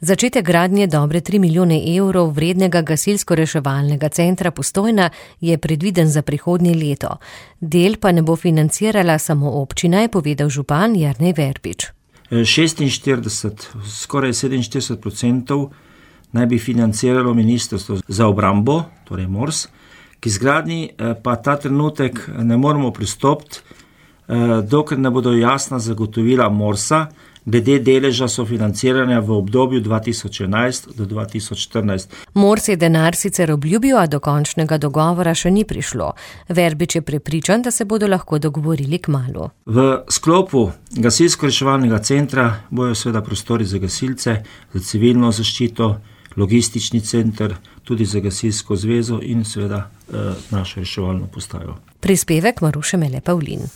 Začetek gradnje dobre 3 milijone evrov vrednega gasilsko-reševalnega centra Postojna je predviden za prihodnje leto. Del pa ne bo financirala samo občina, je povedal župan Jernej Verbič. 46, skoraj 47% naj bi financiralo Ministrstvo za obrambo, torej MORS, k izgradnji pa ta trenutek ne moremo pristopiti, dokler ne bodo jasna zagotovila MORS-a glede deleža sofinanciranja v obdobju 2011 do 2014. MORS je denar sicer obljubil, a do končnega dogovora še ni prišlo. Verbič je prepričan, da se bodo lahko dogovorili kmalu. V sklopu gasilsko-reševalnega centra bojo seveda prostori za gasilce, za civilno zaščito, logistični center, tudi za gasilsko zvezo in seveda našo reševalno postajo. Prispevek Maruše Mele Pavlin.